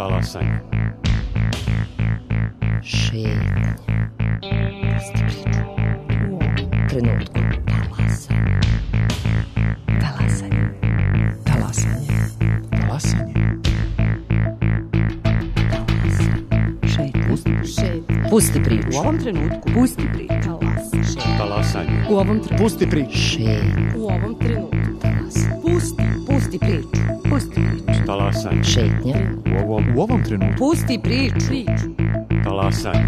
Talasanje. Šetnje. Pusti priču. U ovom trenutku. Talasanje. Talasanje. Talasanje. Talasanje. Pusti priču. U ovom trenutku. Pusti priču. Talasanje. U ovom trenutku. Pusti priču. U ovom trenutku. Pusti priču. Pusti priču. Talasanje. Šetnja. U ovom trenutku. Pusti priču. Talasanje.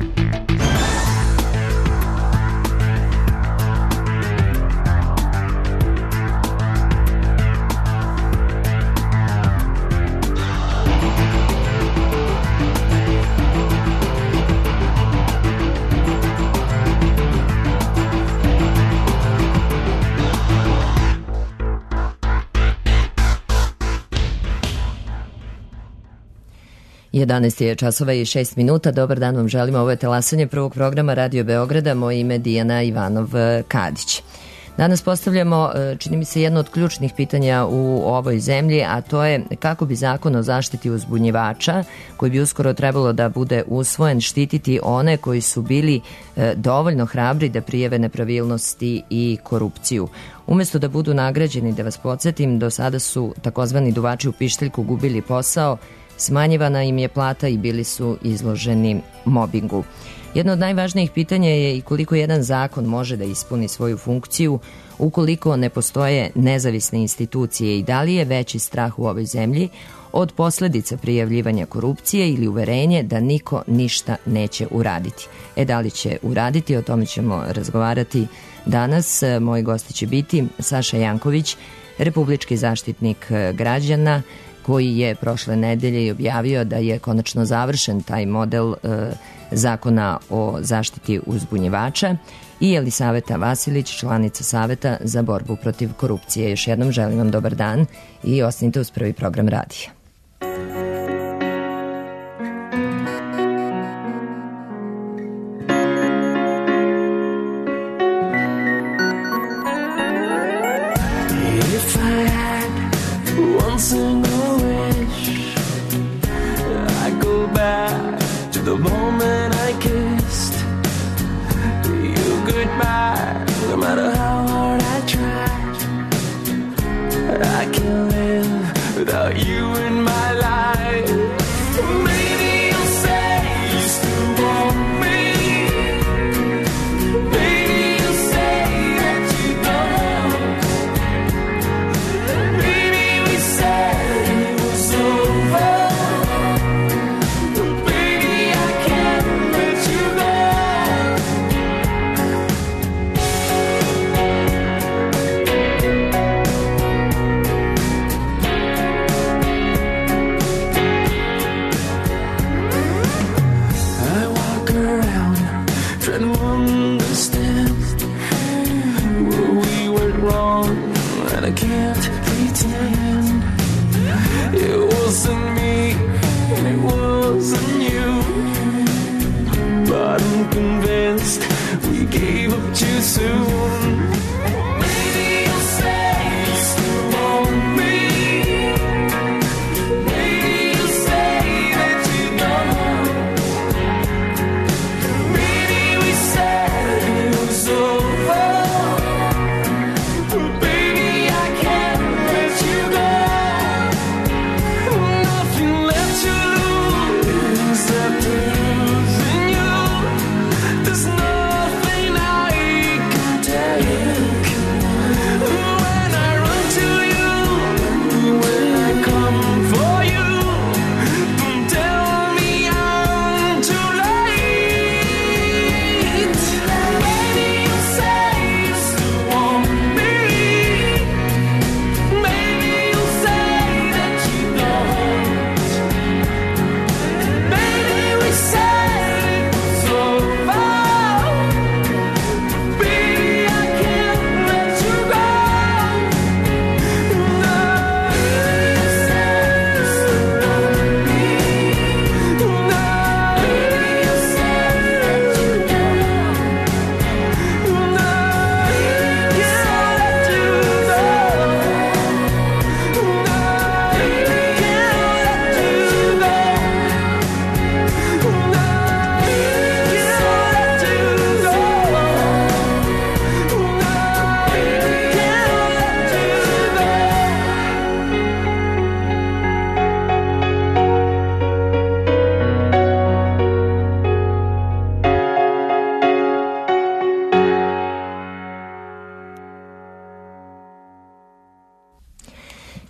Jedanaest je časova i 6 minuta. Dobar dan vam želimo. Ovo je Talasanje prvog programa Radio Beograda. Moje ime je Dijana Ivanov-Kadić. Danas postavljamo, čini mi se, jedno od ključnih pitanja u ovoj zemlji, a to je kako bi zakon o zaštiti uzbunjivača, koji bi uskoro trebalo da bude usvojen, štititi one koji su bili dovoljno hrabri da prijave nepravilnosti i korupciju. Umesto da budu nagrađeni, da vas podsjetim, do sada su takozvani duvači u pištaljku gubili posao, smanjivana im je plata i bili su izloženi mobingu. Jedno od najvažnijih pitanja je i koliko jedan zakon može da ispuni svoju funkciju ukoliko ne postoje nezavisne institucije i da li je veći strah u ovoj zemlji od posledica prijavljivanja korupcije ili uverenje da niko ništa neće uraditi. Da li će uraditi, o tome ćemo razgovarati danas. Moji gosti će biti Saša Janković, republički zaštitnik građana, koji je prošle nedelje objavio da je konačno završen taj model zakona o zaštiti uzbunjivača, i Jelisaveta Vasilić, članica Saveta za borbu protiv korupcije. Još jednom želim vam dobar dan i ostanite uz prvi program radija. The moment I kissed you goodbye, no matter how hard I tried, I can't live without you in my life. Maybe you'll say you still want me. Maybe you'll say that you don't. Maybe we say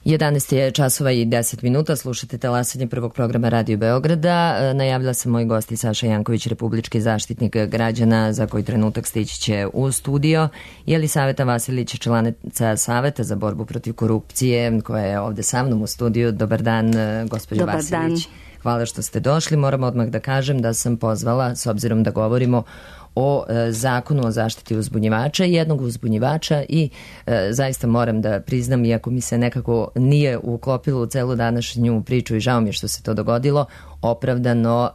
11 je časova i 10 minuta, slušate talasanje prvog programa Radio Beograda. Najavila sam moj gosti Saša Janković, republički zaštitnik građana, za koji trenutak stići će u studio. Jelisaveta Vasilić, članica Saveta za borbu protiv korupcije, koja je ovde sa mnom u studiju. Dobar dan, gospođo Vasilić. Dan. Hvala što ste došli. Moram odmah da kažem da sam pozvala, s obzirom da govorimo o zakonu o zaštiti uzbunjivača, jednog uzbunjivača i zaista moram da priznam, iako mi se nekako nije uklopilo u celu današnju priču i žao mi je što se to dogodilo, opravdano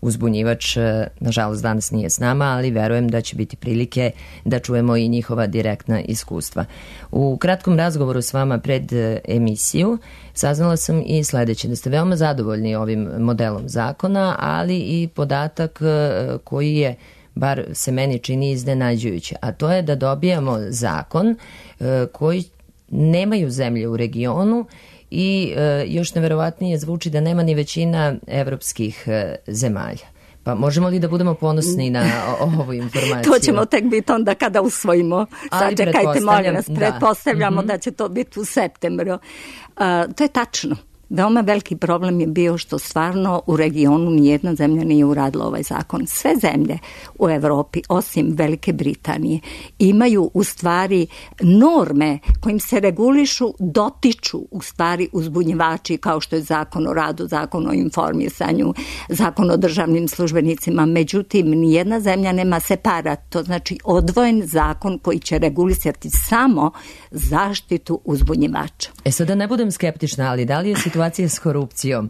uzbunjivač, nažalost, danas nije s nama, ali verujem da će biti prilike da čujemo i njihova direktna iskustva. U kratkom razgovoru s vama pred emisiju saznala sam i sledeće, da ste veoma zadovoljni ovim modelom zakona, ali i podatak koji je, bar se meni čini, iznenađujuće, a to je da dobijamo zakon koji nemaju zemlje u regionu i još neverovatnije zvuči da nema ni većina evropskih zemalja. Pa možemo li da budemo ponosni na ovu informaciju? To ćemo tek biti onda kada usvojimo. Sačekajte, molim nas, pretpostavljamo da će to biti u septembru. To je tačno. Veoma veliki problem je bio što stvarno u regionu nijedna zemlja nije uradila ovaj zakon. Sve zemlje u Evropi, osim Velike Britanije, imaju u stvari norme kojim se regulišu, dotiču u stvari uzbunjivači, kao što je zakon o radu, zakon o informisanju, zakon o državnim službenicima. Međutim, nijedna zemlja nema separat, to znači odvojen zakon koji će regulisati samo zaštitu uzbunjivača. Sada ne budem skeptična, ali da li je situacija s korupcijom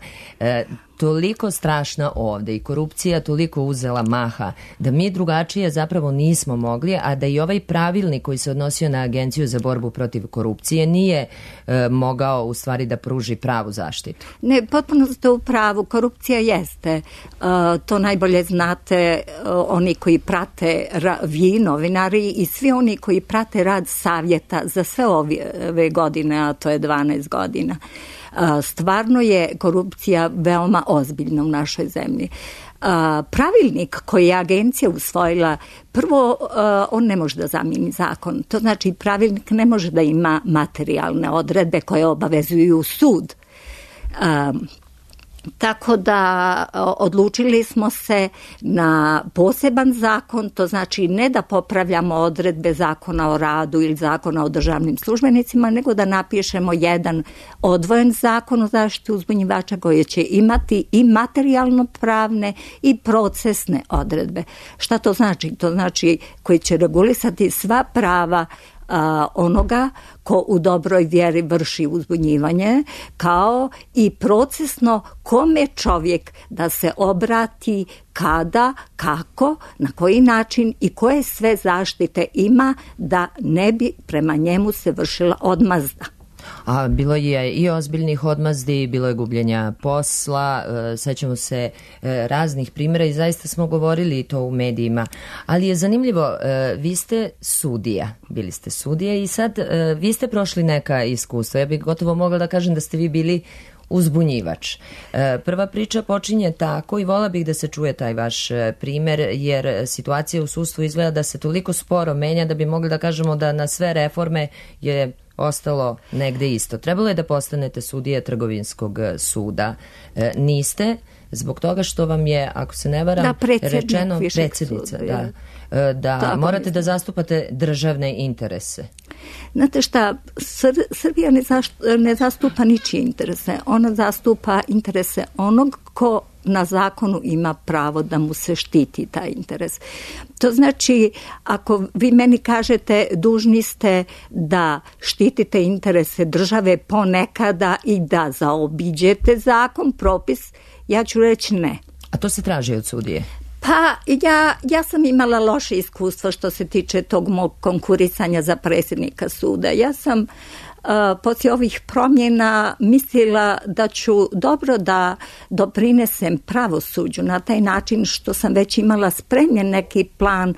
toliko strašna ovde i korupcija toliko uzela maha da mi drugačije zapravo nismo mogli, a da i ovaj pravilnik koji se odnosio na Agenciju za borbu protiv korupcije nije mogao u stvari da pruži pravu zaštitu? Ne, potpuno ste u pravu. Korupcija jeste. To najbolje znate oni koji prate, vi novinari i svi oni koji prate rad savjeta za sve ove godine, a to je 12 godina. Stvarno je korupcija veoma ozbiljna u našoj zemlji. Pravilnik koji je agencija usvojila, prvo on ne može da zamijeni zakon. To znači pravilnik ne može da ima materijalne odredbe koje obavezuju sud. Tako da odlučili smo se na poseban zakon, to znači ne da popravljamo odredbe zakona o radu ili zakona o državnim službenicima, nego da napišemo jedan odvojen zakon o zaštiti uzbunjivača koji će imati i materijalno pravne i procesne odredbe. Šta to znači? To znači koji će regulisati sva prava onoga ko u dobroj vjeri vrši uzbunjivanje, kao i procesno kome čovjek da se obrati, kada, kako, na koji način i koje sve zaštite ima da ne bi prema njemu se vršila odmazda. A bilo je i ozbiljnih odmazdi, bilo je gubljenja posla, sećamo se raznih primjera i zaista smo govorili to u medijima. Ali je zanimljivo, vi ste sudija, bili ste sudija i sad vi ste prošli neka iskustva. Ja bih gotovo mogla da kažem da ste vi bili uzbunjivač. Prva priča počinje tako i vola bih da se čuje taj vaš primer, jer situacija u sudstvu izgleda da se toliko sporo menja da bi mogli da kažemo da na sve reforme je ostalo negde isto. Trebalo je da postanete sudija Trgovinskog suda. Niste, zbog toga što vam je, ako se ne varam, rečeno predsjednica, da morate da zastupate državne interese. Znate šta, Srbija ne zastupa ničije interese. Ona zastupa interese onog ko na zakonu ima pravo da mu se štiti taj interes. To znači, ako vi meni kažete dužni ste da štitite interese države ponekada i da zaobiđete zakon, propis, ja ću reći ne. A to se traži od sudije? Pa ja sam imala loše iskustvo što se tiče tog mog konkurisanja za predsjednika suda. Ja sam poslije ovih promjena mislila da ću dobro da doprinesem pravosuđu na taj način što sam već imala spremljen neki plan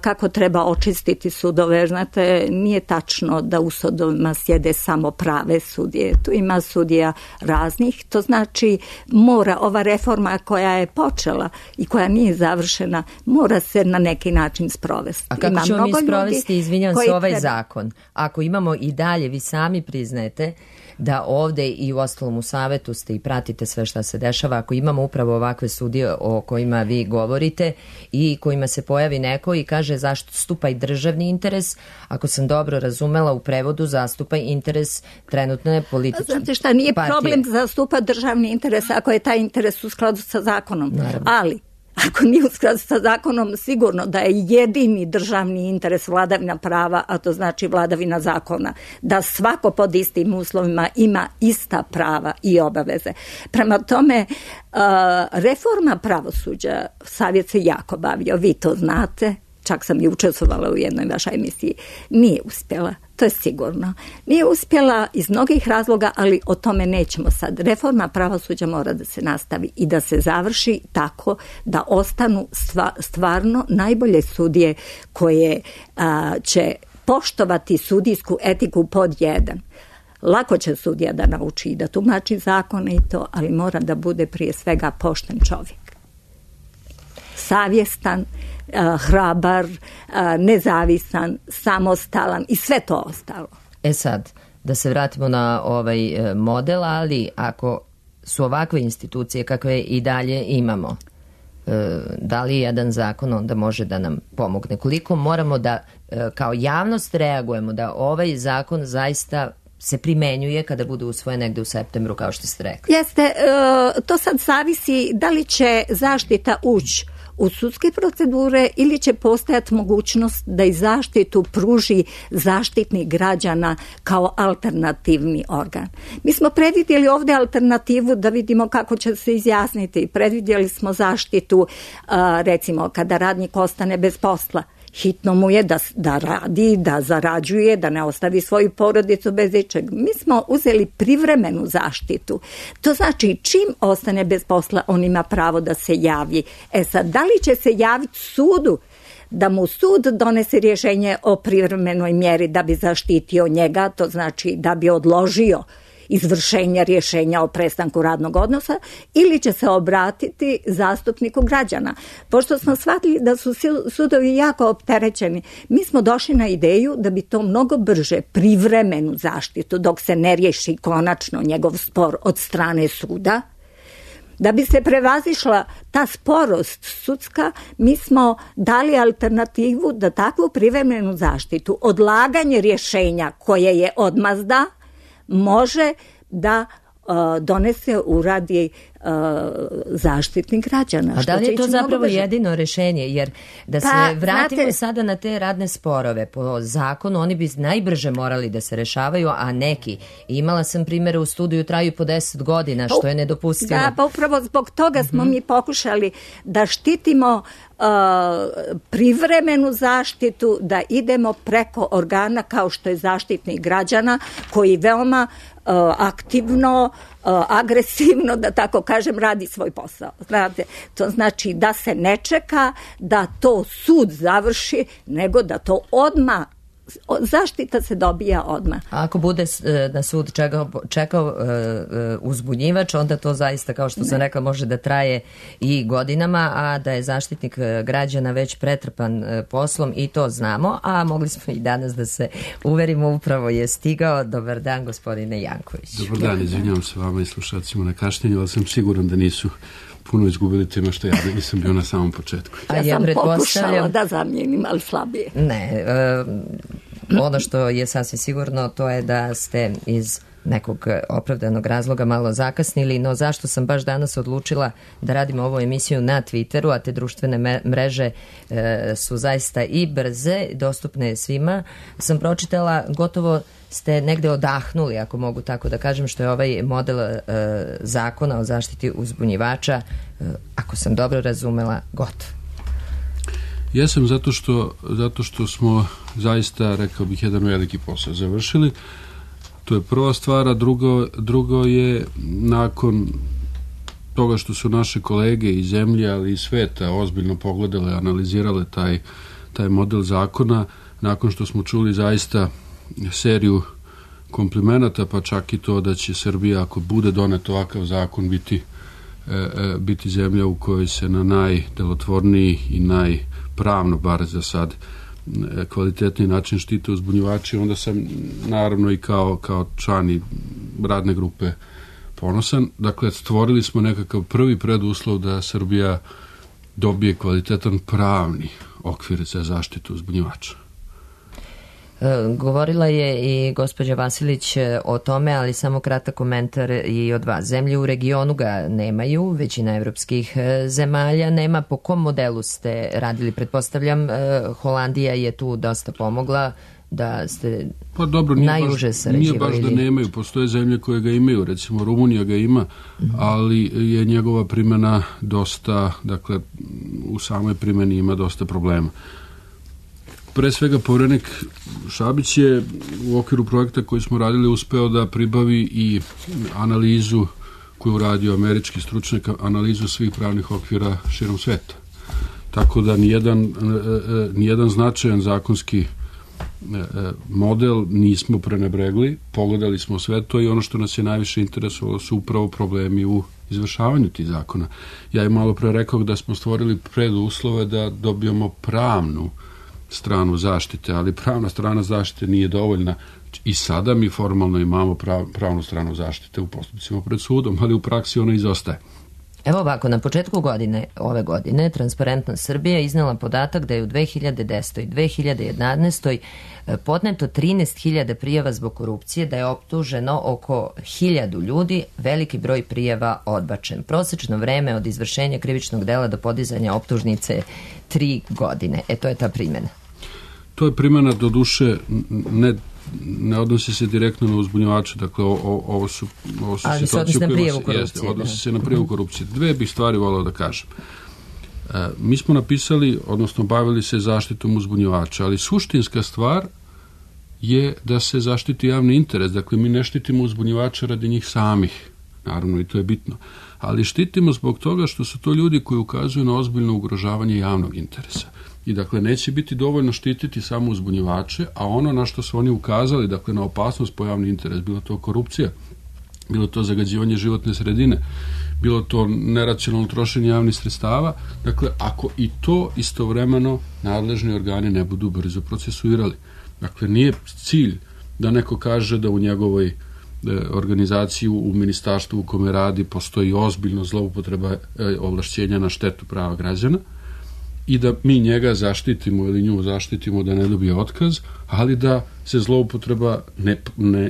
kako treba očistiti sudove. Znate, nije tačno da u sudovima sjede samo prave sudije. Tu ima sudija raznih. To znači mora ova reforma koja je počela i koja nije završena, mora se na neki način sprovesti. A kako ćemo mi sprovesti, izvinjam se, ovaj zakon? Ako imamo i dalje, vi sami priznajete da ovde i u ostalom u savetu ste i pratite sve šta se dešava, ako imamo upravo ovakve sudije o kojima vi govorite i kojima se pojavi neko i kaže zašto stupa i državni interes, ako sam dobro razumela u prevodu zastupa interes trenutne političke partije. Znate šta, nije problem zastupa državni interes ako je taj interes u skladu sa zakonom. Naravno. Ali ako nije u skladu sa zakonom, sigurno da je jedini državni interes vladavina prava, a to znači vladavina zakona, da svako pod istim uslovima ima ista prava i obaveze. Prema tome, reforma pravosuđa, Savjet se jako bavio, vi to znate, čak sam i učestvovala u jednoj vašoj emisiji, nije uspjela. To je sigurno. Nije uspjela iz mnogih razloga, ali o tome nećemo sad. Reforma pravosuđa mora da se nastavi i da se završi tako da ostanu stvarno najbolje sudije koje će poštovati sudijsku etiku pod jedan. Lako će sudija da nauči i da tumači zakone i to, ali mora da bude prije svega pošten čovjek. Savjestan, hrabar, nezavisan, samostalan i sve to ostalo. Sad, da se vratimo na ovaj model, ali ako su ovakve institucije kakve i dalje imamo, da li jedan zakon onda može da nam pomogne? Koliko moramo da kao javnost reagujemo da ovaj zakon zaista se primenjuje kada bude usvojen negde u septembru, kao što ste rekli? Jeste, to sad zavisi da li će zaštita ući u sudske procedure ili će postojati mogućnost da i zaštitu pruži Zaštitnik građana kao alternativni organ. Mi smo predvidjeli ovdje alternativu da vidimo kako će se izjasniti. Predvidjeli smo zaštitu, recimo, kada radnik ostane bez posla. Hitno mu je da radi, da zarađuje, da ne ostavi svoju porodicu bez ičeg. Mi smo uzeli privremenu zaštitu. To znači čim ostane bez posla, on ima pravo da se javi. Sad, da li će se javiti sudu da mu sud donese rješenje o privremenoj mjeri da bi zaštitio njega, to znači da bi odložio izvršenja rješenja o prestanku radnog odnosa, ili će se obratiti zastupniku građana. Pošto smo shvatili da su sudovi jako opterećeni, mi smo došli na ideju da bi to mnogo brže privremenu zaštitu, dok se ne riješi konačno njegov spor od strane suda, da bi se prevazišla ta sporost sudska, mi smo dali alternativu da takvu privremenu zaštitu, odlaganje rješenja koje je odmazda, može da donese, uradi Zaštitnik građana. A da li je to zapravo jedino rješenje? Jer da se vratimo sada na te radne sporove, po zakonu oni bi najbrže morali da se rešavaju, a neki, imala sam primjere u studiju, traju po 10 godina, što je nedopustivo. Da, pa upravo zbog toga smo mi pokušali da štitimo privremenu zaštitu, da idemo preko organa kao što je Zaštitnik građana, koji veoma aktivno, agresivno, da tako kažem, radi svoj posao. Znate, to znači da se ne čeka da to sud završi, nego da to odmah, zaštita se dobija odmah. A ako bude na sud čekao uzbunjivač, onda to zaista, kao što sam rekla, može da traje i godinama, a da je Zaštitnik građana već pretrpan poslom i to znamo, a mogli smo i danas da se uverimo, upravo je stigao. Dobar dan, gospodine Janković. Dobar dan, izvinjavam se vama i slušacima na kašnjenju, ali sam siguran da nisu puno izgubili tema što ja nisam bio na samom početku. Ja sam pokušala da zamijenim, ali slabije. Ne, ono što je sasvim sigurno, to je da ste iz nekog opravdanog razloga malo zakasnili, no zašto sam baš danas odlučila da radim ovu emisiju na Twitteru, a te društvene mreže su zaista i brze, dostupne svima, sam pročitala, gotovo ste negde odahnuli, ako mogu tako da kažem, što je ovaj model zakona o zaštiti uzbunjivača, ako sam dobro razumela, gotov. Jesam, zato što smo zaista, rekao bih, jedan veliki posao završili. To je prva stvar, a drugo je, nakon toga što su naše kolege iz zemlje, ali i sveta ozbiljno pogledale, analizirale taj model zakona, nakon što smo čuli zaista seriju komplimenata, pa čak i to da će Srbija, ako bude donet ovakav zakon, biti zemlja u kojoj se na najdelotvorniji i najpravno, bar za sad, kvalitetni način štite uzbunjivači, onda sam naravno i kao član i radne grupe ponosan. Dakle, stvorili smo nekakav prvi preduslov da Srbija dobije kvalitetan pravni okvir za zaštitu uzbunjivača. Govorila je i gospođa Vasilić o tome, ali samo kratak komentar i od vas. Zemlje u regionu ga nemaju, većina evropskih zemalja nema. Po kom modelu ste radili? Pretpostavljam, Holandija je tu dosta pomogla, da ste najuže sarađivali. Nije baš da nemaju, postoje zemlje koje ga imaju, recimo Rumunija ga ima, ali je njegova primjena dosta, dakle, u samoj primjeni ima dosta problema. Pre svega, povjerenik Šabić je u okviru projekta koji smo radili uspeo da pribavi i analizu koju uradio američki stručnjak, analizu svih pravnih okvira širom sveta. Tako da nijedan značajan zakonski model nismo prenebregli, pogledali smo sve to i ono što nas je najviše interesovalo su upravo problemi u izvršavanju tih zakona. Ja im malo pre rekao da smo stvorili preduslove da dobijemo pravnu stranu zaštite, ali pravna strana zaštite nije dovoljna. I sada mi formalno imamo pravnu stranu zaštite u postupcima pred sudom, ali u praksi ona izostaje. Evo ovako, na početku ove godine Transparentna Srbija iznala podatak da je u 2010. i 2011. podneto 13.000 prijava zbog korupcije, da je optuženo oko 1.000 ljudi, veliki broj prijava odbačen. Prosečno vreme od izvršenja krivičnog dela do podizanja optužnice 3 godine. To je ta primjena. To je primjena, do duše, ne odnosi se direktno na uzbunjivače, dakle ovo su ali se odnosi na prijavu korupcije. Odnosi se na prijavu korupcije. Dve bih stvari volao da kažem. Mi smo napisali, odnosno bavili se zaštitom uzbunjivača, ali suštinska stvar je da se zaštiti javni interes. Dakle, mi ne štitimo uzbunjivača radi njih samih, naravno, i to je bitno, ali štitimo zbog toga što su to ljudi koji ukazuju na ozbiljno ugrožavanje javnog interesa. I dakle, neće biti dovoljno štititi samo uzbunjivače, a ono na što su oni ukazali, dakle, na opasnost po javni interes, bilo to korupcija, bilo to zagađivanje životne sredine, bilo to neracionalno trošenje javnih sredstava, dakle, ako i to istovremeno nadležni organi ne budu brzo procesuirali. Dakle, nije cilj da neko kaže da u njegovoj organizaciji, u ministarstvu u kome radi, postoji ozbiljno zloupotreba ovlašćenja na štetu prava građana, i da mi njega zaštitimo ili nju zaštitimo da ne dobije otkaz, ali da se zloupotreba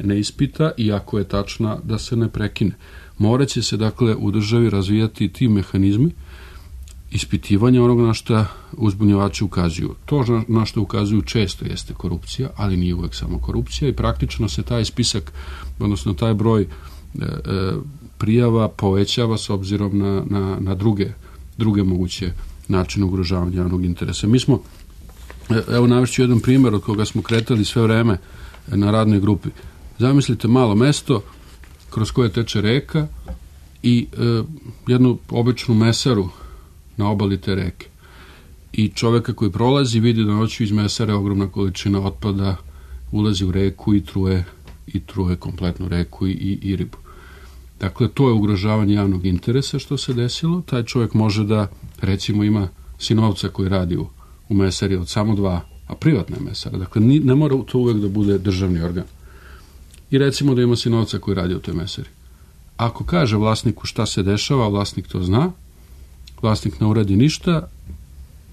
ne ispita i ako je tačna da se ne prekine. Moraće se, dakle, u državi razvijati ti mehanizmi ispitivanja onog na što uzbunjivači ukazuju. To na što ukazuju često jeste korupcija, ali nije uvek samo korupcija i praktično se taj spisak, odnosno taj broj prijava povećava s obzirom na druge moguće način ugrožavanja javnog interesa. Mi smo, evo navešću jedan primjer od koga smo kretali sve vreme na radnoj grupi. Zamislite malo mesto kroz koje teče reka i jednu običnu mesaru na obali te reke. I čoveka koji prolazi vidi da noću iz mesare ogromna količina otpada ulazi u reku i truje kompletnu reku i ribu. Dakle, to je ugrožavanje javnog interesa što se desilo. Taj čovjek može da, recimo, ima sinovca koji radi u mesari od samo 2, a privatna je mesara. Dakle, ne mora to uvek da bude državni organ. I recimo da ima sinovca koji radi u toj mesari. Ako kaže vlasniku šta se dešava, vlasnik to zna, vlasnik ne uradi ništa,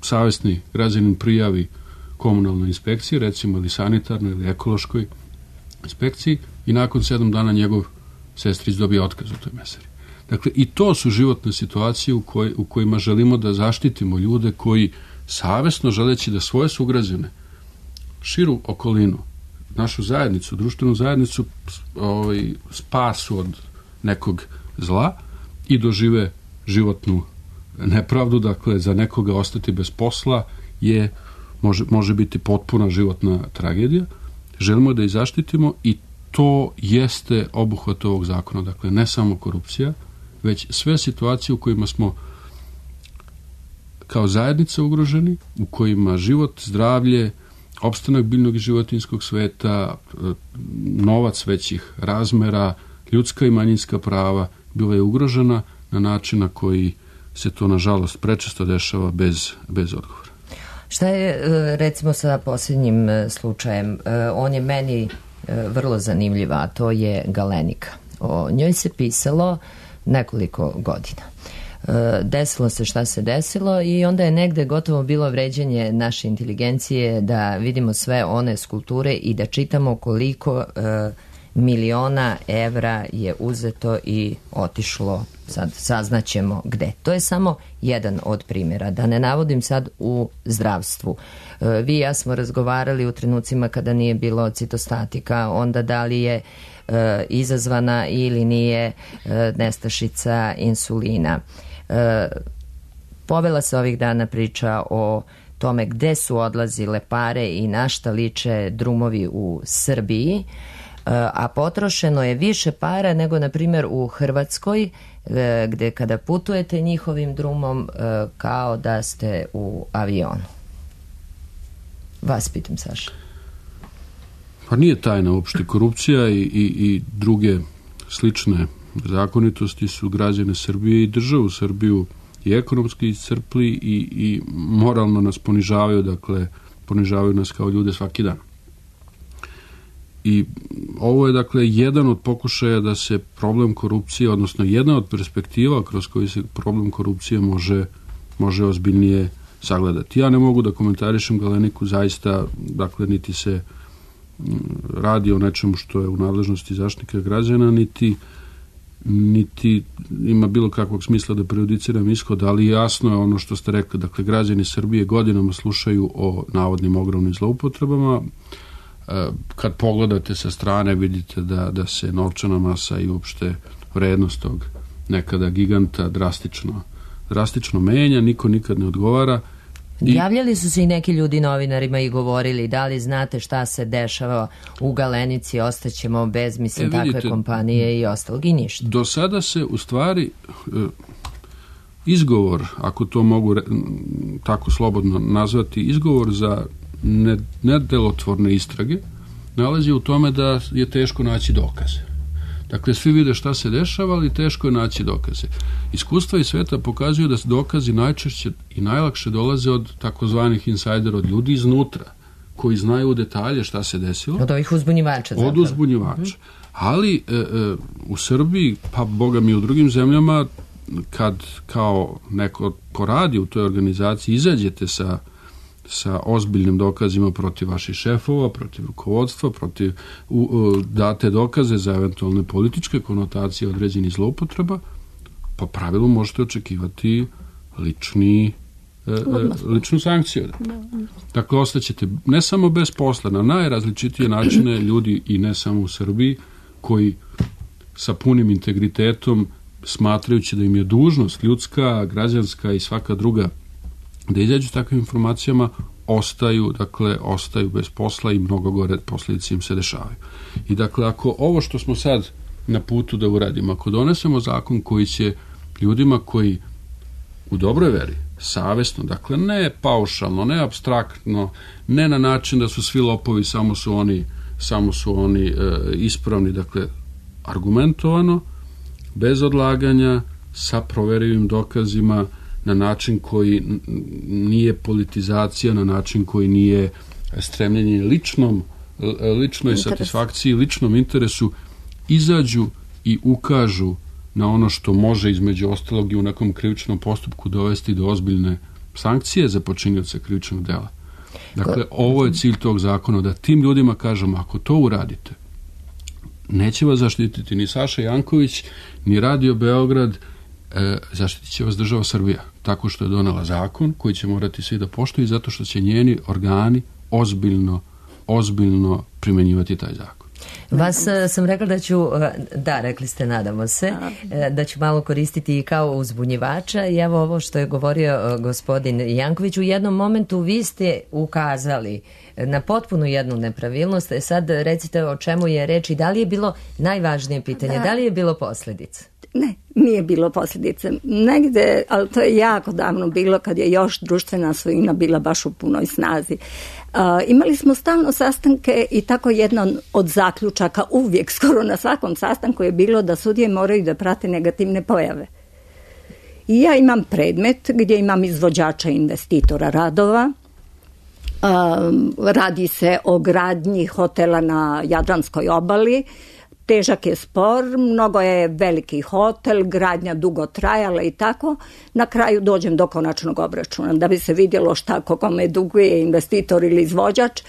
savesni građanin prijavi komunalnoj inspekciji, recimo ili sanitarnoj ili ekološkoj inspekciji, i nakon 7 dana njegov sestrić dobije otkaz u toj mesari. Dakle, i to su životne situacije u kojima želimo da zaštitimo ljude koji savesno, želeći da svoje sugrađane, širu okolinu, našu zajednicu, društvenu zajednicu, spasu od nekog zla i dožive životnu nepravdu. Dakle, za nekoga ostati bez posla može biti potpuna životna tragedija. Želimo da ih zaštitimo i to jeste obuhvat ovog zakona. Dakle, ne samo korupcija, već sve situacije u kojima smo kao zajednica ugroženi, u kojima život, zdravlje, opstanak biljnog i životinjskog sveta, novac većih razmera, ljudska i manjinska prava bila je ugrožena na način na koji se to, nažalost, prečesto dešava bez odgovora. Šta je recimo sa posljednjim slučajem? On je meni vrlo zanimljiv, a to je Galenika. O njoj se pisalo nekoliko godina. Desilo se šta se desilo i onda je negde gotovo bilo vređanje naše inteligencije da vidimo sve one skulpture i da čitamo koliko miliona evra je uzeto i otišlo, sad saznaćemo gde. To je samo jedan od primjera, da ne navodim sad u zdravstvu. Vi i ja smo razgovarali u trenucima kada nije bilo citostatika, onda da li je izazvana ili nije nestašica insulina. Povela se ovih dana priča o tome gde su odlazile pare i na šta liče drumovi u Srbiji, a potrošeno je više para nego na primjer u Hrvatskoj, gde kada putujete njihovim drumom kao da ste u avionu. Vas pitam, Saša. Pa nije tajna uopšte. Korupcija i druge slične zakonitosti su građane Srbije i državu Srbiju i ekonomski iscrpli i moralno nas ponižavaju, dakle ponižavaju nas kao ljude svaki dan. I ovo je dakle jedan od pokušaja da se problem korupcije, odnosno jedna od perspektiva kroz koju se problem korupcije može ozbiljnije sagledati. Ja ne mogu da komentarišem Galeniku, zaista, dakle, niti se radi o nečemu što je u nadležnosti Zaštitnika građana, niti ima bilo kakvog smisla da prejudiciram ishod, ali jasno je ono što ste rekli, dakle, građani Srbije godinama slušaju o navodnim ogromnim zloupotrebama. Kad pogledate sa strane vidite da se novčana masa i uopšte vrednost tog nekada giganta drastično menja, niko nikad ne odgovara. Javljali su se i neki ljudi novinarima i govorili da li znate šta se dešava u Galenici, ostaćemo bez, takve kompanije i ostalog i ništa. Do sada se u stvari izgovor, ako to mogu tako slobodno nazvati, izgovor za nedelotvorne istrage nalazi u tome da je teško naći dokaze. Dakle, svi vide šta se dešava, ali teško je naći dokaze. Iskustva iz sveta pokazuju da dokazi najčešće i najlakše dolaze od takozvanih insajdera, od ljudi iznutra, koji znaju u detalje šta se desilo. Od ovih uzbunjivača. Od uzbunjivača. Ali u Srbiji, pa boga mi u drugim zemljama, kad kao neko ko radi u toj organizaciji izađete sa ozbiljnim dokazima protiv vaših šefova, protiv rukovodstva, date dokaze za eventualne političke konotacije određenih zloupotreba, po pravilu možete očekivati ličnu sankciju. Dakle, ostaćete ne samo bez posla, na najrazličitije načine ljudi i ne samo u Srbiji, koji sa punim integritetom, smatrajući da im je dužnost ljudska, građanska i svaka druga da izađu s takvim informacijama, ostaju bez posla i mnogo gore posljedice im se dešavaju. I dakle, ako ovo što smo sad na putu da uradimo, ako donesemo zakon koji će ljudima koji u dobroj veri, savesno, dakle ne paušalno, ne apstraktno, ne na način da su svi lopovi, samo su oni ispravni, dakle argumentovano, bez odlaganja, sa proverivim dokazima, na način koji nije politizacija, na način koji nije stremljenje ličnoj satisfakciji, ličnom interesu, izađu i ukažu na ono što može između ostalog i u nekom krivičnom postupku dovesti do ozbiljne sankcije za počinioca krivičnog dela. Dakle, ovo je cilj tog zakona, da tim ljudima kažemo, ako to uradite, neće vas zaštititi ni Saša Janković, ni Radio Beograd, zaštitit će vas država Srbija, tako što je donela zakon koji će morati svi da poštuju, zato što će njeni organi ozbiljno primenjivati taj zakon. Vas sam rekla da ću, da, rekli ste, nadamo se, da ću malo koristiti i kao uzbunjivača, i evo ovo što je govorio gospodin Janković, u jednom momentu vi ste ukazali na potpuno jednu nepravilnost. Sad recite o čemu je reč i da li je bilo najvažnije pitanje, da li je bilo posljedica? Ne, nije bilo posljedice. Negde, ali to je jako davno bilo kad je još društvena svojina bila baš u punoj snazi. Imali smo stalno sastanke i tako jedan od zaključaka uvijek, skoro na svakom sastanku je bilo da sudije moraju da prate negativne pojave. I ja imam predmet gdje imam izvođača investitora radova Radi se o gradnji hotela na Jadranskoj obali. Težak je spor, mnogo je veliki hotel, gradnja dugo trajala i tako. Na kraju dođem do konačnog obračuna. Da bi se vidjelo šta kome duguje investitor ili izvođač,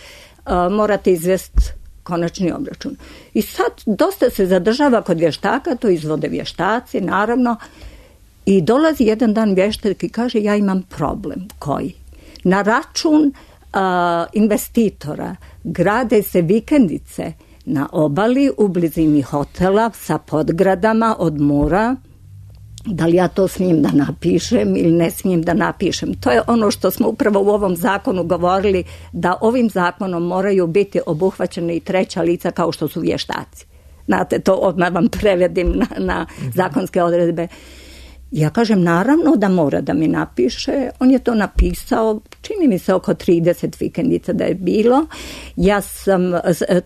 morate izvesti konačni obračun. I sad dosta se zadržava kod vještaka, to izvode vještaci, naravno. I dolazi jedan dan vještak i kaže ja imam problem. Koji? Na račun investitora grade se vikendice na obali u blizini hotela sa podgradama od mora. Da li ja to smijem da napišem ili ne smijem da napišem? To je ono što smo upravo u ovom zakonu govorili, da ovim zakonom moraju biti obuhvaćene i treća lica kao što su vještaci. Znate, to odmah vam prevedim na zakonske odredbe. Ja kažem, naravno da mora da mi napiše. On je to napisao, čini mi se oko 30 vikendica da je bilo. Ja sam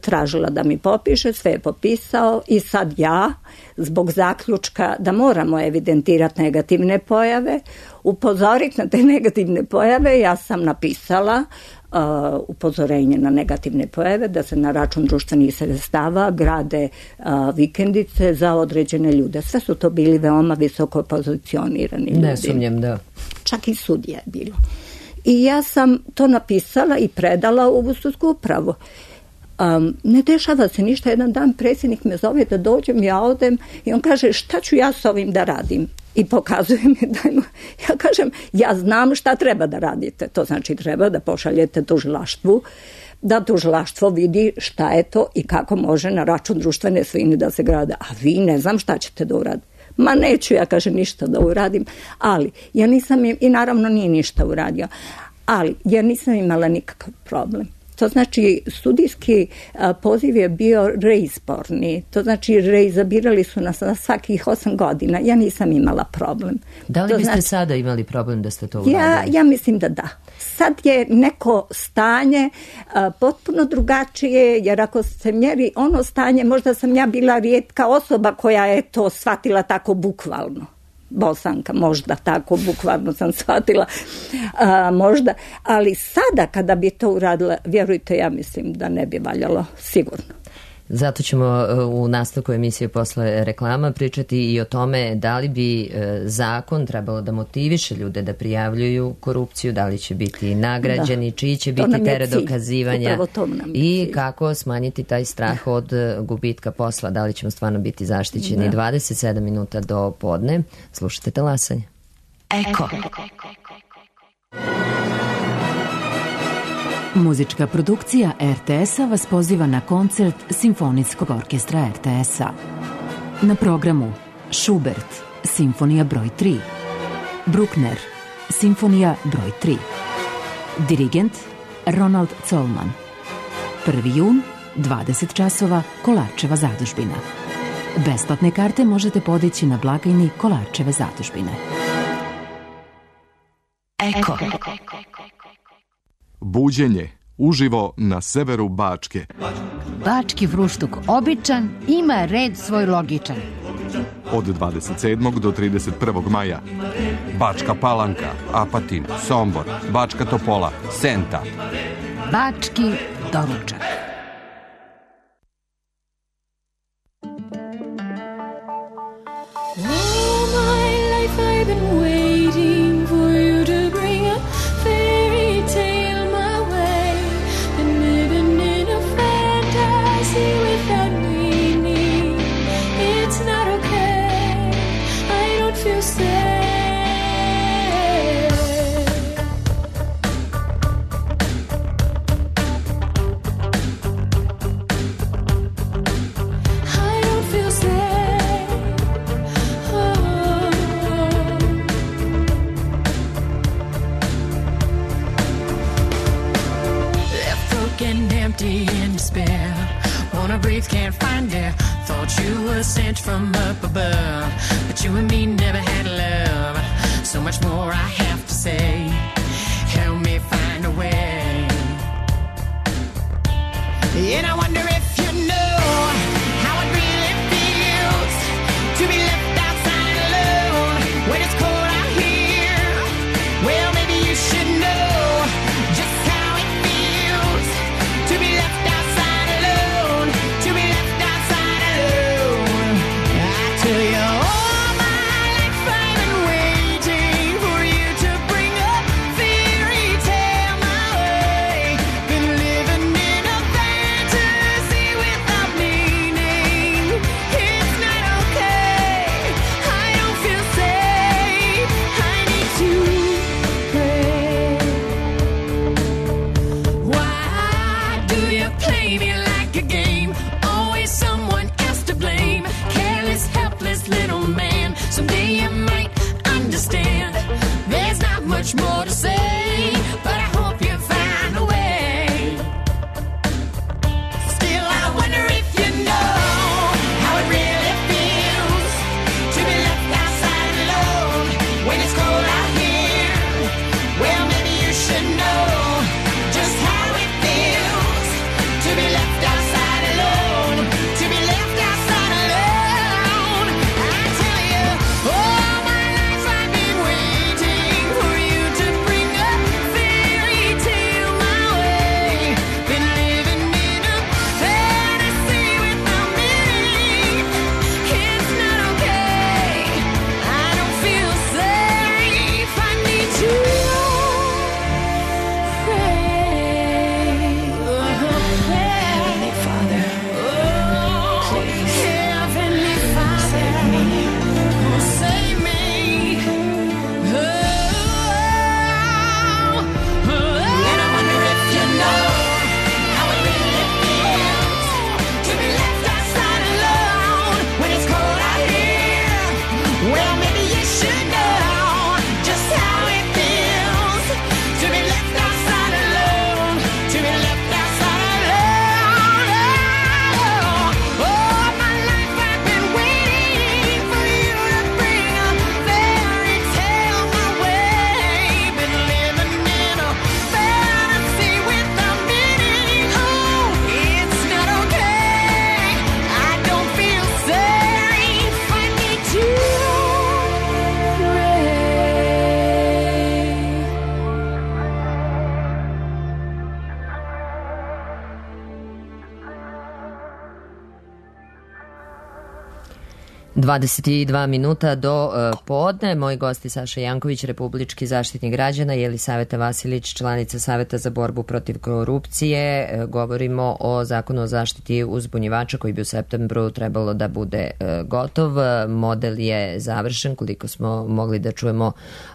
tražila da mi popiše, sve je popisao i sad ja, zbog zaključka da moramo evidentirati negativne pojave, upozoriti na te negativne pojave, ja sam napisala upozorenje na negativne pojave, da se na račun društvenih sredstava grade vikendice za određene ljude. Sve su to bili veoma visoko pozicionirani ljudi. Ne sumnjam, da. Čak i sudija je bilo. I ja sam to napisala i predala u sudsku upravu. Ne dešava se ništa. Jedan dan predsjednik me zove da dođem, ja odem i on kaže šta ću ja s ovim da radim? I pokazuje mi da ja kažem, ja znam šta treba da radite. To znači treba da pošaljete tužilaštvu, da tužilaštvo vidi šta je to i kako može na račun društvene svojine da se grade. A vi ne znam šta ćete da uradite. Ma neću ja, kaže, ništa da uradim. Ali ja nisam, i naravno nije ništa uradio, ali ja nisam imala nikakav problem. To znači sudijski poziv je bio reizborni. To znači reizabirali su nas na svakih 8 godina. Ja nisam imala problem. Da li to biste znači, sada imali problem da ste to uradili? Ja mislim da da. Sad je neko stanje potpuno drugačije, jer ako se mjeri ono stanje, možda sam ja bila rijetka osoba koja je to shvatila tako bukvalno. Bosanka, možda tako, bukvalno sam shvatila, možda, ali sada kada bi to uradila, vjerujte, ja mislim da ne bi valjalo, sigurno. Zato ćemo u nastavku emisije posle reklama pričati i o tome da li bi zakon trebalo da motiviše ljude da prijavljuju korupciju, da li će biti nagrađeni, čiji će biti teret dokazivanja i kako smanjiti taj strah od gubitka posla, da li ćemo stvarno biti zaštićeni. 27 minuta do podne. Slušajte Talasanje. Eko. Muzička produkcija RTS-a vas poziva na koncert Simfonijskog orkestra RTS-a. Na programu Schubert, Simfonija broj 3. Bruckner, Simfonija broj 3. Dirigent Ronald Zollman. 1. jun, 20 časova, Kolarčeva zadužbina. Besplatne karte možete podići na blagajni Kolarčeve zadužbine. Eko. Buđenje uživo na severu Bačke. Bački fruštuk običan ima red svoj logičan. Od 27. do 31. maja. Bačka Palanka, Apatin, Sombor, Bačka Topola, Senta. Bački doručak. Sent from up above, but you and me never had love. So much more I have to say. Help me find a way. And I wonder if you know how it really feels to be left outside alone when it's cold out here. Well, maybe you should know just how it 22 minuta do podne. Moji gosti Saša Janković, republički zaštitnik građana, Jelisaveta Vasilić, članica Saveta za borbu protiv korupcije. Govorimo o zakonu o zaštiti uzbunjivača koji bi u septembru trebalo da bude gotov. Model je završen, koliko smo mogli da čujemo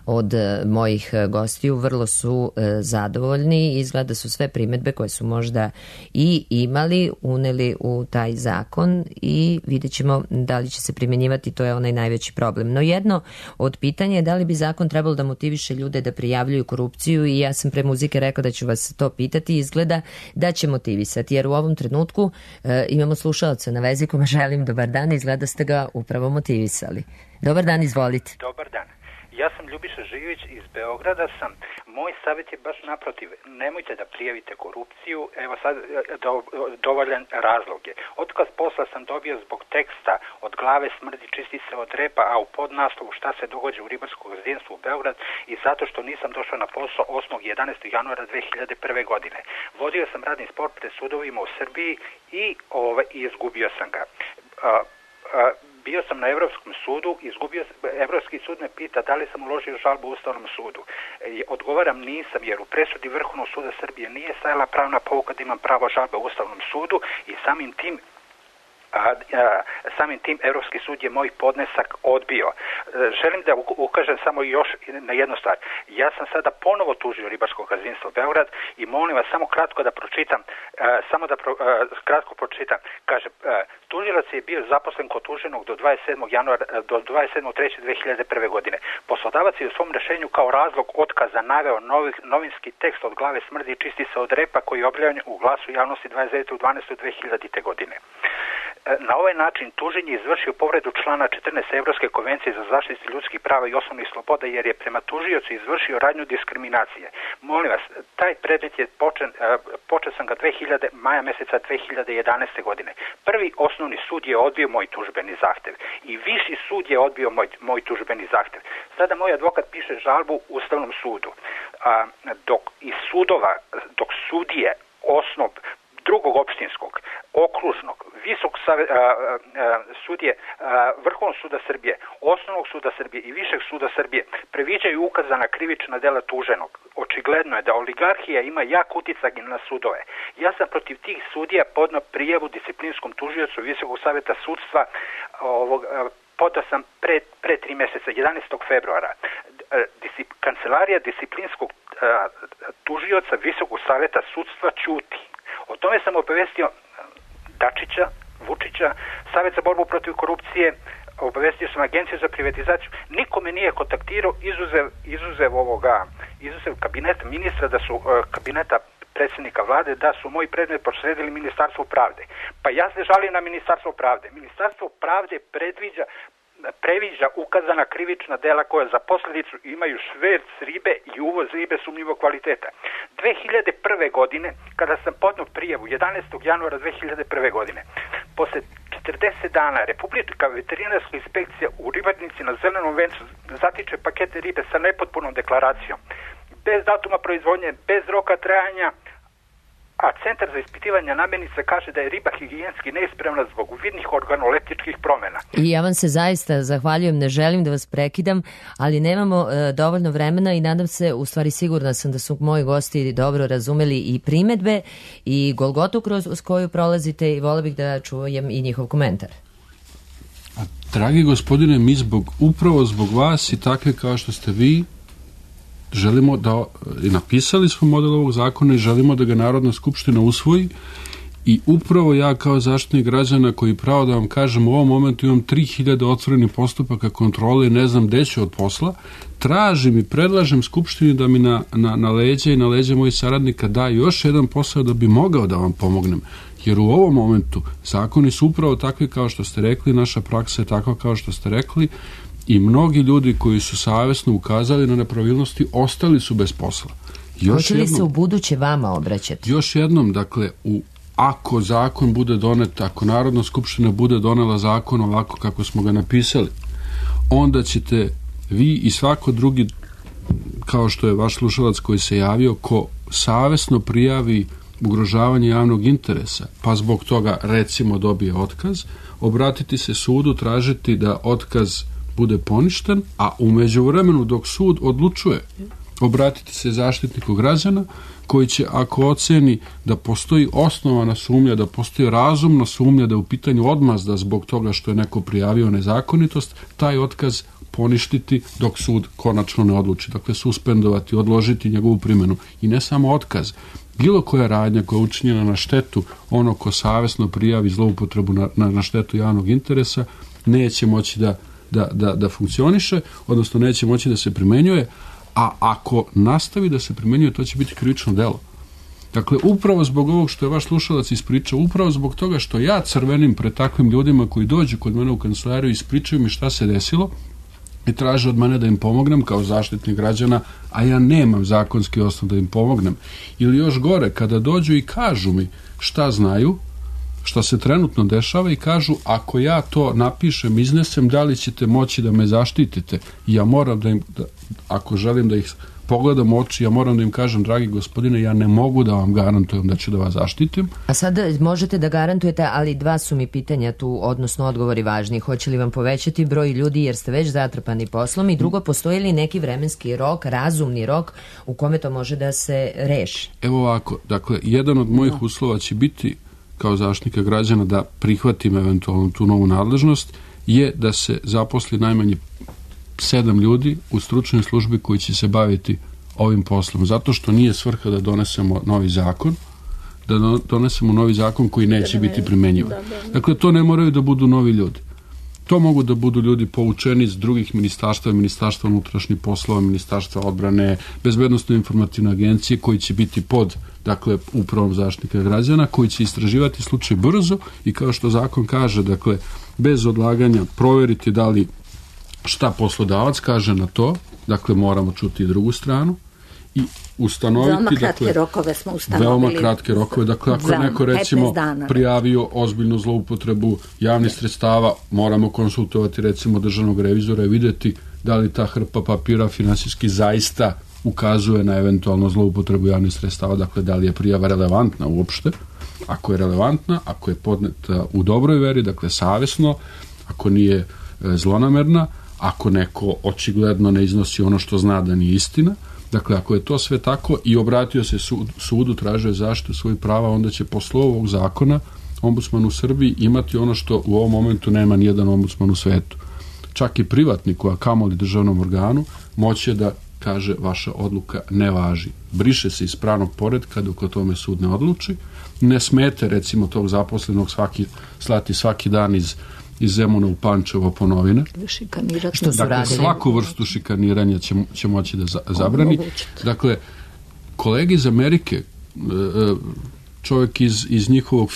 od mojih gostiju. Vrlo su zadovoljni. Izgleda su sve primedbe koje su možda i imali uneli u taj zakon i vidjet ćemo da li će se primjenjivati, to je onaj najveći problem. No jedno od pitanja je da li bi zakon trebalo da motiviše ljude da prijavljuju korupciju i ja sam pre muzike rekao da ću vas to pitati. Izgleda da će motivisati, jer u ovom trenutku imamo slušaoca na vezi kome želim dobar dan. Izgleda ste ga upravo motivisali. Dobar dan, izvolite. Dobar dan. Ja sam Ljubiša Živić iz Beograda sam. Moj savjet je baš naprotiv. Nemojte da prijavite korupciju. Evo sad dovoljan razlog je. Otkaz posla sam dobio zbog teksta Od glave smrdi čisti se od repa, a u podnaslovu Šta se događa u ribarskom gazdinstvu u Beograd, i zato što nisam došao na posao 8. 11. januara 2001. godine. Vodio sam radni spor pred sudovima u Srbiji i izgubio sam ga. Bio sam na Evropskom sudu, Evropski sud me pita da li sam uložio žalbu u Ustavnom sudu. Odgovaram nisam, jer u presudi Vrhovnog suda Srbije nije stajala pravna pouka da imam pravo žalbe u Ustavnom sudu i samim tim Evropski sud je moj podnesak odbio. Želim da ukažem samo još na jednu stvar. Ja sam sada ponovo tužio ribarsko gazdinstvo Beograd i molim vas samo kratko da pročitam, Kaže, tužilac je bio zaposlen kod tuženog do 27.3.2001. godine. Poslodavac je u svom rešenju kao razlog otkaza naveo novinski tekst Od glave smrdi čisti se od repa koji je objavljen u Glasu javnosti 29.12.2000. godine. Na ovaj način tužen je izvršio povredu člana 14 Evropske konvencije za zaštitu ljudskih prava i osnovnih sloboda, jer je prema tužiocu izvršio radnju diskriminacije. Molim vas, taj predmet je počeo sam ga maja meseca 2011. godine. Prvi osnovni sud je odbio moj tužbeni zahtev i viši sud je odbio moj tužbeni zahtev. Sada moj advokat piše žalbu Ustavnom sudu. Dok sudije osnov drugog opštinskog, okružnog, sudije Vrhovnog suda Srbije, Osnovnog suda Srbije i Višeg suda Srbije previđaju ukazana krivična dela tuženog. Očigledno je da oligarhija ima jak uticaj na sudove. Ja sam protiv tih sudija podneo prijavu disciplinskom tužiocu Visokog saveta sudstva, podao sam pre 3 meseca, 11. februara. Kancelarija disciplinskog tužioca Visokog saveta sudstva ćuti. O tome sam obavestio Dačića, Vučića, Savet za borbu protiv korupcije, obavestio sam Agenciju za privatizaciju. Niko me nije kontaktirao, izuzev kabineta ministra, kabineta predsjednika vlade, da su moj predmet prosledili Ministarstvo pravde. Pa ja se žalim na Ministarstvo pravde. Ministarstvo pravde previđa ukazana krivična dela koja za posljedicu imaju šverc ribe i uvoz ribe sumnjivog kvaliteta. 2001. godine, kada sam podneo prijavu 11. januara 2001. godine, posle 40 dana Republička veterinarska inspekcija u Ribarnici na Zelenom vencu zatiče pakete ribe sa nepotpunom deklaracijom, bez datuma proizvodnje, bez roka trajanja, a Centar za ispitivanje namirnica kaže da je riba higijenski neispravna zbog vidnih organoleptičkih promjena. I ja vam se zaista zahvaljujem, ne želim da vas prekidam, ali nemamo dovoljno vremena i nadam se, u stvari sigurna sam da su moji gosti dobro razumeli i primedbe i golgotu kroz koju prolazite i volio bih da čujem i njihov komentar. Dragi gospodine, mi upravo zbog vas i takve kao što ste vi, želimo da, i napisali smo model ovog zakona i želimo da ga Narodna skupština usvoji i upravo ja kao zaštitnik građana koji pravo da vam kažem u ovom momentu imam 3000 otvorenih postupaka kontrole i ne znam gde ću od posla, tražim i predlažem skupštini da mi na leđe i na leđe mojih saradnika da još jedan posao da bi mogao da vam pomognem. Jer u ovom momentu zakoni su upravo takvi kao što ste rekli, naša praksa je takva kao što ste rekli i mnogi ljudi koji su savjesno ukazali na nepravilnosti ostali su bez posla. Hoće li se u buduće vama obraćati? Još jednom, dakle, ako zakon bude donet, ako Narodna skupština bude donela zakon ovako kako smo ga napisali, onda ćete vi i svako drugi, kao što je vaš slušalac koji se javio, ko savjesno prijavi ugrožavanje javnog interesa, pa zbog toga recimo dobije otkaz, obratiti se sudu, tražiti da otkaz bude poništen, a u međuvremenu dok sud odlučuje, obratiti se zaštitniku građana koji će, ako oceni da postoji osnovana sumnja, da postoji razumna sumnja da je u pitanju odmazda zbog toga što je neko prijavio nezakonitost, taj otkaz poništiti dok sud konačno ne odluči. Dakle, suspendovati, odložiti njegovu primjenu. I ne samo otkaz, bilo koja radnja koja je učinjena na štetu ono ko savjesno prijavi zloupotrebu na štetu javnog interesa neće moći da funkcioniše, odnosno neće moći da se primenjuje, a ako nastavi da se primenjuje, to će biti krivično delo. Dakle, upravo zbog ovog što je vaš slušalac ispričao, upravo zbog toga što ja crvenim pred takvim ljudima koji dođu kod mene u kancelariju i ispričaju mi šta se desilo i traže od mene da im pomognem kao zaštitnik građana, a ja nemam zakonski osnov da im pomognem. Ili još gore, kada dođu i kažu mi šta znaju, šta se trenutno dešava i kažu, ako ja to napišem, iznesem, da li ćete moći da me zaštitite? I ja moram da im, ako želim da ih pogledam u oči, ja moram da im kažem, dragi gospodine, ja ne mogu da vam garantujem da ću da vas zaštitim. A sad možete da garantujete, ali dva su mi pitanja tu, odnosno odgovori važni. Hoće li vam povećati broj ljudi jer ste već zatrpani poslom i drugo, postoji li neki vremenski rok, razumni rok u kome to može da se reši? Evo ovako, dakle, jedan od mojih uslova će biti kao zaštitnika građana da prihvatim eventualno tu novu nadležnost je da se zaposli najmanje 7 ljudi u stručnoj službi koji će se baviti ovim poslom. Zato što nije svrha da donesemo novi zakon, da donesemo novi zakon koji neće biti primenjivan. Dakle, to ne moraju da budu novi ljudi. To mogu da budu ljudi poučeni iz drugih ministarstva, Ministarstva unutrašnjih poslova, Ministarstva odbrane, Bezbednosno informativne agencije koji će biti pod, dakle, upravom zaštitnika građana, koji će istraživati slučaj brzo i kao što zakon kaže, dakle, bez odlaganja proveriti da li šta poslodavac kaže na to, dakle, moramo čuti i drugu stranu i ustanoviti, veoma kratke rokove smo ustanovili. Veoma kratke rokove, dakle, ako je neko recimo prijavio ozbiljnu zloupotrebu javnih sredstava, moramo konsultovati recimo državnog revizora i vidjeti da li ta hrpa papira finansijski zaista ukazuje na eventualno zloupotrebu javnih sredstava, dakle, da li je prijava relevantna uopšte. Ako je relevantna, ako je podneta u dobroj veri, dakle, savjesno, ako nije zlonamerna, ako neko očigledno ne iznosi ono što zna da nije istina. Dakle, ako je to sve tako i obratio se sudu, tražio zaštitu svojih prava, onda će posle ovog zakona ombudsman u Srbiji imati ono što u ovom momentu nema nijedan ombudsman u svetu. Čak i privatniku, a kamoli državnom organu, moće da kaže vaša odluka ne važi. Briše se iz pravnog poretka dok o tome sud ne odluči. Ne smete, recimo, tog zaposlenog slati svaki dan iz Zemuna u Pančevo po novine. Dakle, svaku vrstu šikaniranja će moći da zabrani. Dakle, kolegi iz Amerike, čovjek iz njihovog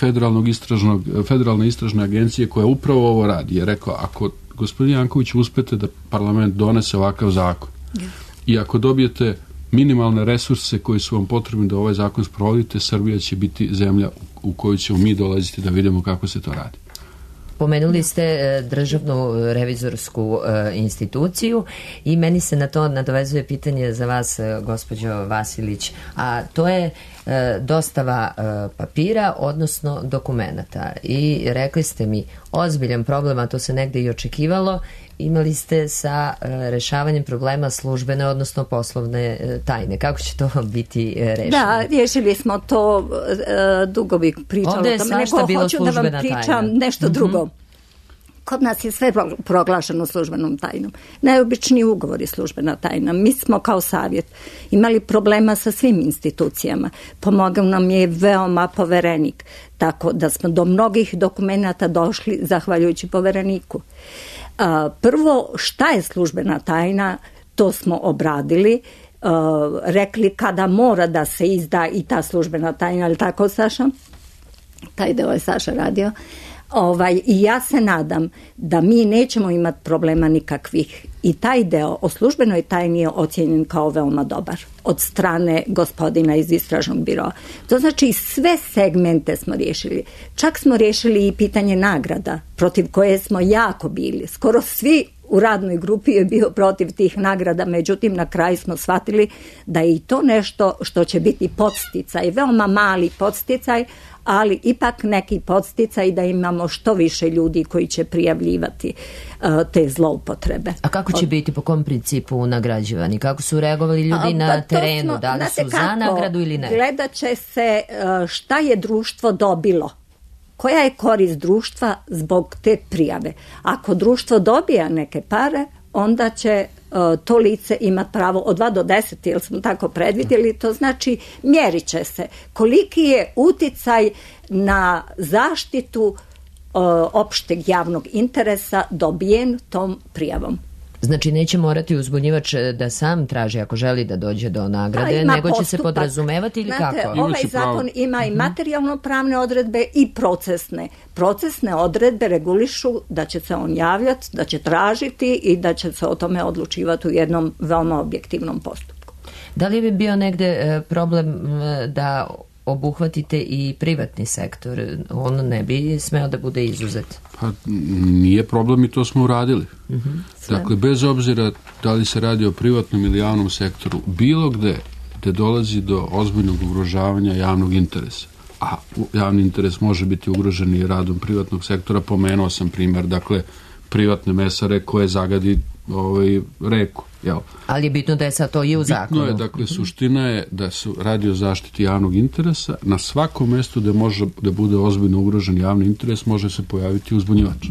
federalne istražne agencije koja upravo ovo radi, je rekao, ako gospodin Janković uspete da parlament donese ovakav zakon i ako dobijete minimalne resurse koji su vam potrebni da ovaj zakon sprovodite, Srbija će biti zemlja u koju ćemo mi dolaziti da vidimo kako se to radi. Pomenuli ste državnu revizorsku instituciju i meni se na to nadovezuje pitanje za vas, gospođo Vasilić, a to je dostava papira, odnosno dokumenata. I rekli ste mi, ozbiljan problem, a to se negde i očekivalo, imali ste sa rešavanjem problema službene, odnosno poslovne tajne. Kako će to biti rešeno? Da, riješili smo to, dugo bih pričala o tome, nego hoću da vam pričam nešto drugo. Kod nas je sve proglašeno službenom tajnom. Najobičniji ugovor je službena tajna. Mi smo kao savjet imali problema sa svim institucijama. Pomogao nam je veoma poverenik. Tako da smo do mnogih dokumenata došli zahvaljujući povereniku. Prvo, šta je službena tajna, to smo obradili, rekli kada mora da se izda i ta službena tajna, ali tako, Saša? Taj deo je Saša radio. I ja se nadam da mi nećemo imati problema nikakvih. I taj deo o službenoj tajni je ocijenjen kao veoma dobar od strane gospodina iz istražnog biroa. To znači sve segmente smo riješili. Čak smo riješili i pitanje nagrada, protiv koje smo jako bili. Skoro svi u radnoj grupi je bio protiv tih nagrada, međutim na kraju smo shvatili da je i to nešto što će biti podsticaj, veoma mali podsticaj, ali ipak neki podsticaj da imamo što više ljudi koji će prijavljivati te zloupotrebe. A kako će biti, po kom principu nagrađivani? Kako su reagovali ljudi na terenu? Da li su za nagradu ili ne? Gledat će se šta je društvo dobilo. Koja je korist društva zbog te prijave? Ako društvo dobija neke pare, onda će to lice imati pravo od 2 do 10, jer smo tako predvidjeli, to znači mjerit će se koliki je uticaj na zaštitu opšteg javnog interesa dobijen tom prijavom. Znači neće morati uzbunjivač da sam traži ako želi da dođe do nagrade, nego će se podrazumevati ili kako? Ovaj zakon ima i materijalno-pravne odredbe i procesne. Procesne odredbe regulišu da će se on javljati, da će tražiti i da će se o tome odlučivati u jednom veoma objektivnom postupku. Da li bi bio negde problem da obuhvatite i privatni sektor? On ne bi smeo da bude izuzet. Pa nije problem i to smo uradili. Dakle, bez obzira da li se radi o privatnom ili javnom sektoru, bilo gde dolazi do ozbiljnog ugrožavanja javnog interesa, a javni interes može biti ugrožen i radom privatnog sektora, pomenuo sam primjer, dakle, privatne mesare koje zagadi reku. Jel? Ali je bitno da je sad to i u zakonu. Bitno je, dakle, suština je da se radi o zaštiti javnog interesa. Na svakom mjestu gde može da bude ozbiljno ugrožen javni interes može se pojaviti uzbunjivač.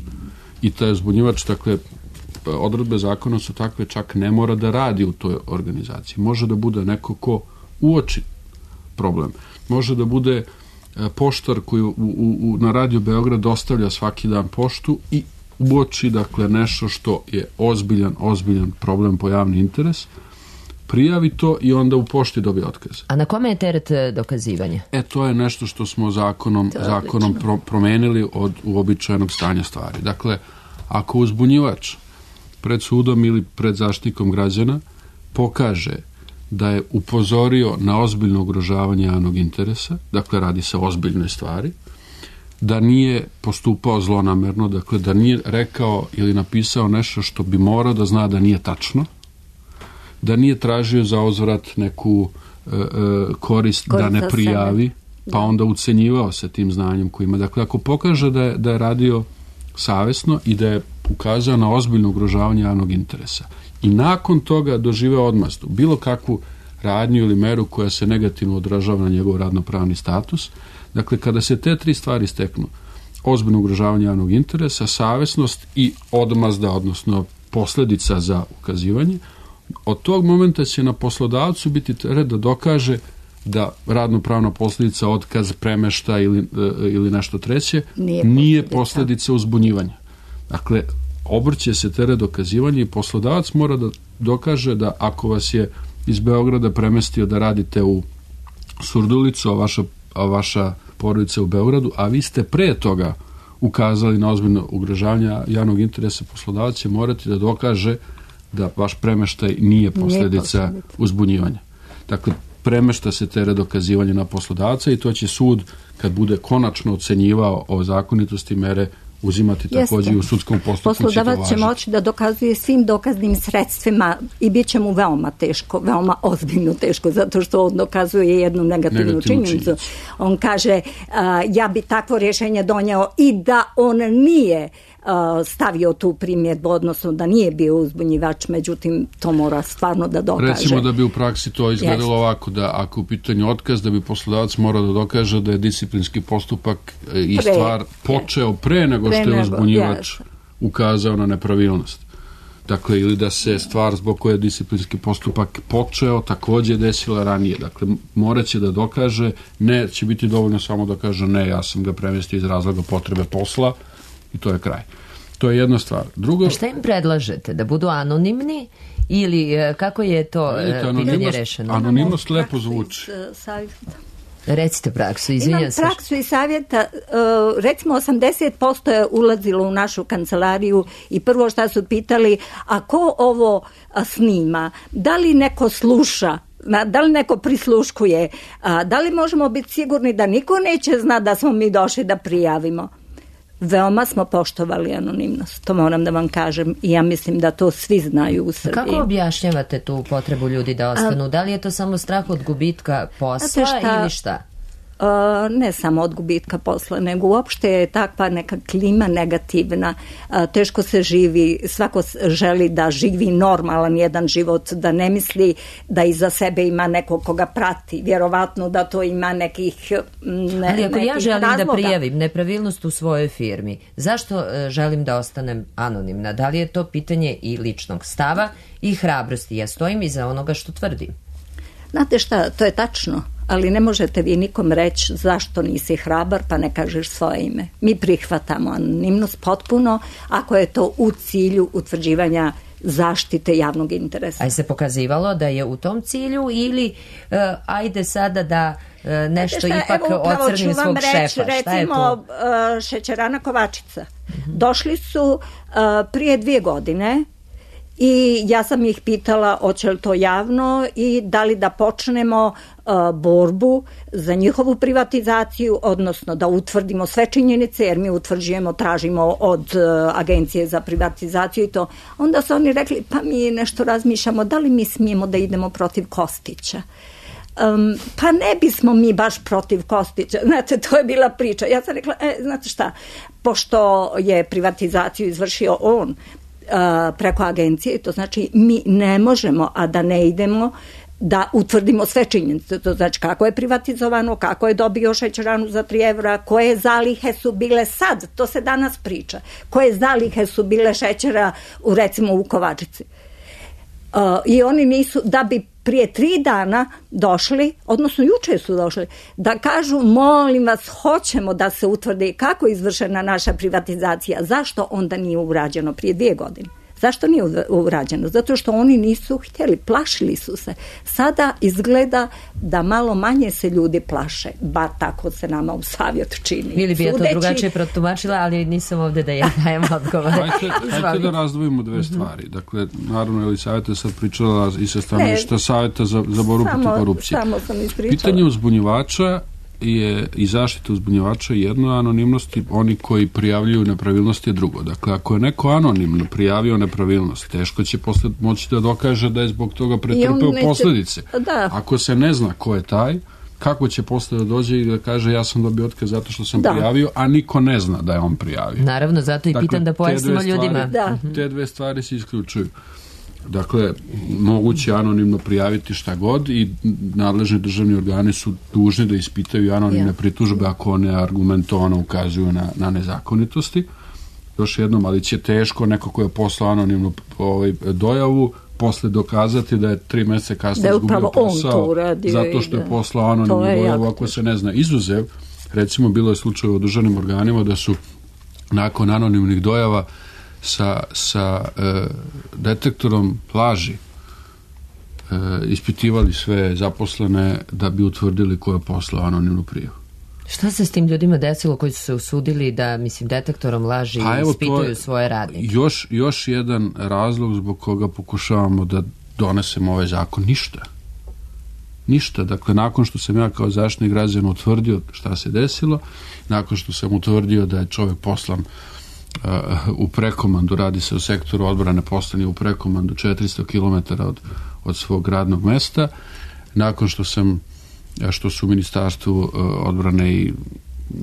I taj uzbunjivač, dakle, odredbe zakona su takve, čak ne mora da radi u toj organizaciji. Može da bude neko ko uoči problem. Može da bude poštar koji na Radio Beograd dostavlja svaki dan poštu i uoči, dakle, nešto što je ozbiljan problem po javni interes, prijavi to i onda u pošti dobije otkaz. A na kome je teret dokazivanja? To je nešto što smo zakonom promenili od uobičajenog stanja stvari. Dakle, ako uzbunjivač pred sudom ili pred zaštitnikom građana pokaže da je upozorio na ozbiljno ugrožavanje javnog interesa, dakle, radi se o ozbiljnoj stvari, da nije postupao zlonamerno, dakle da nije rekao ili napisao nešto što bi morao da zna da nije tačno, da nije tražio za uzvrat neku korist da ne prijavi, pa onda ucenjivao se tim znanjem koji ima. Dakle, ako pokaže da je radio savesno i da je ukazao na ozbiljno ugrožavanje javnog interesa i nakon toga doživeo odmazdu, bilo kakvu radnju ili meru koja se negativno odražava na njegov radnopravni status. Dakle, kada se te 3 stvari steknu, ozbiljno ugrožavanje javnog interesa, savesnost i odmazda, odnosno posljedica za ukazivanje, od tog momenta će na poslodavcu biti teret da dokaže da radnopravna posljedica, otkaz, premešta ili nešto treće nije posljedica uzbunjivanja. Dakle, obrće se teret dokazivanja i poslodavac mora da dokaže da ako vas je iz Beograda premestio da radite u Surdulicu, a vaša porodica u Beogradu, a vi ste pre toga ukazali na ozbiljno ugrožavanje javnog interesa, poslodavac će morati da dokaže da vaš premeštaj nije posljedica uzbunjivanja. Dakle, premešta se teret dokazivanja na poslodavca i to će sud, kad bude konačno ocenjivao o zakonitosti mere, uzimati također u sudskom postupku. Poslodavac će moći da dokazuje svim dokaznim sredstvima i bit će mu veoma teško, veoma ozbiljno teško, zato što on dokazuje jednu negativnu činjenicu. On kaže, ja bi takvo rješenje donio i da on nije stavio tu primjedbu, odnosno da nije bio uzbunjivač, međutim to mora stvarno da dokaže. Recimo da bi u praksi to izgledalo ovako, da ako u pitanju otkaz, da bi poslodavac morao da dokaže da je disciplinski postupak i stvar počeo pre nego što je uzbunjivač ukazao na nepravilnost. Dakle, ili da se stvar zbog koje je disciplinski postupak počeo također desila ranije. Dakle, morat će da dokaže, ne će biti dovoljno samo da kaže ne, ja sam ga premestio iz razloga potrebe posla, i to je kraj. To je jedna stvar. Drugo, a šta im predlažete? Da budu anonimni ili kako je to pitanje rešeno? Anonimnost lepo zvuči. Recite praksu, izvinjam se. Imam praksu i savjeta, recimo 80% je ulazilo u našu kancelariju i prvo šta su pitali, a ko ovo snima? Da li neko sluša? Da li neko prisluškuje? Da li možemo biti sigurni da niko neće zna da smo mi došli da prijavimo? veoma smo poštovali anonimnost, to moram da vam kažem i ja mislim da to svi znaju u Srbiji. Kako objašnjavate tu potrebu ljudi da ostanu? Da li je to samo strah od gubitka posla ili šta? Ne samo od gubitka posla, nego uopšte je takva neka klima negativna, teško se živi, svako želi da živi normalan jedan život, da ne misli da iza sebe ima nekog koga prati, vjerovatno da to ima nekih ali ako ja želim razloga. Da prijavim nepravilnost u svojoj firmi, zašto želim da ostanem anonimna? Da li je to pitanje i ličnog stava i hrabrosti? Ja stojim iza onoga što tvrdim. Znate šta, to je tačno, ali ne možete vi nikom reći zašto nisi hrabar pa ne kažeš svoje ime. Mi prihvatamo anonimnost potpuno ako je to u cilju utvrđivanja zaštite javnog interesa. A je se pokazivalo da je u tom cilju ili ajde sada da nešto ipak ocrnim svog šefa? Recimo šećerana Kovačica. Došli su prije 2 godine i ja sam ih pitala hoće li to javno i da li da počnemo borbu za njihovu privatizaciju, odnosno da utvrdimo sve činjenice, jer mi utvrđujemo, tražimo od Agencije za privatizaciju i to. Onda su oni rekli, pa mi nešto razmišljamo, da li mi smijemo da idemo protiv Kostića? Pa ne bismo mi baš protiv Kostića, znate, to je bila priča. Ja sam rekla, znate šta, pošto je privatizaciju izvršio on preko agencije, to znači mi ne možemo, a da ne idemo da utvrdimo sve činjenice, to znači kako je privatizovano, kako je dobio šećeranu za 3 evra, koje zalihe su bile sad, to se danas priča, koje zalihe su bile šećera recimo u Kovačici. I oni nisu, da bi prije 3 dana došli, odnosno juče su došli, da kažu molim vas, hoćemo da se utvrdi kako je izvršena naša privatizacija, zašto onda nije urađeno prije 2 godine? Zašto nije urađeno? Zato što oni nisu htjeli, plašili su se. Sada izgleda da malo manje se ljudi plaše, bar tako se nama u savjet čini. Ili bi ja to drugačije protumačila, ali nisam ovdje da ja dajem odgovore. Hajde da razdvojimo 2 stvari. Dakle, naravno, Elisaveta je sad pričala i sa stanovišta Savjeta za borbu protiv korupcije. Samo sam ispričala. Pitanje uzbunjivača je i zaštita uzbunjivača jedno, anonimnosti oni koji prijavljuju nepravilnosti je drugo. Dakle, ako je neko anonimno prijavio nepravilnost, teško će posle moći da dokaže da je zbog toga pretrpeo posljedice. Da. Ako se ne zna ko je taj, kako će posle da dođe i da kaže ja sam dobio otkaz zato što sam prijavio, a niko ne zna da je on prijavio. Naravno, zato i pitam da pojasnimo ljudima. Te 2 stvari se isključuju. Dakle, moguće anonimno prijaviti šta god i nadležni državni organi su dužni da ispitaju anonimne pritužbe ako one argumentovano ukazuju na nezakonitosti. Još jednom, ali će teško neko ko je poslao anonimnu dojavu posle dokazati da je 3 mjeseca kasnije izgubio posao zato što je poslao anonimnu dojavu ako se ne zna. Izuzev, recimo bilo je slučaj u državnim organima da su nakon anonimnih dojava sa detektorom laži ispitivali sve zaposlene da bi utvrdili ko je poslao anonimnu prijavu. Šta se s tim ljudima desilo koji su se usudili da, mislim, detektorom laži ispituju svoje radnike? Još jedan razlog zbog koga pokušavamo da donesemo ovaj zakon, ništa. Dakle, nakon što sam ja kao zaštitnik građana utvrdio šta se desilo, nakon što sam utvrdio da je čovjek poslan u prekomandu, radi se o sektoru odbrane, poslani u prekomandu 400 km od svog radnog mesta, nakon što su u Ministarstvu odbrane i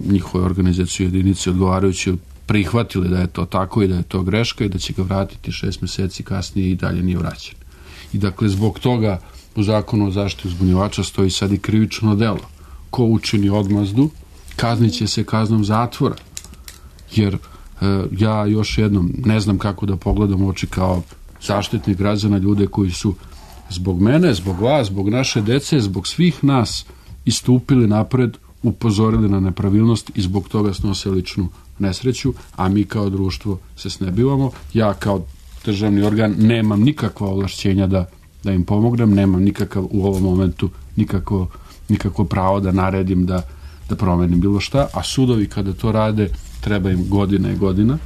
njihove organizacije jedinice odgovarajući prihvatili da je to tako i da je to greška i da će ga vratiti 6 mjeseci kasnije i dalje nije vraćen. I dakle, zbog toga u Zakonu o zaštiti uzbunjivača stoji sad i krivično delo. Ko učini odmazdu, kaznit će se kaznom zatvora. Jer ja još jednom ne znam kako da pogledam u oči kao zaštitnik građana ljude koji su zbog mene, zbog vas, zbog naše dece, zbog svih nas istupili napred, upozorili na nepravilnost i zbog toga snose ličnu nesreću, a mi kao društvo se snebivamo. Ja kao državni organ nemam nikakva ovlašćenja da im pomognem, nemam nikakav u ovom momentu nikakvo pravo da naredim da promenim bilo šta, a sudovi kada to rade treba im godina i godina.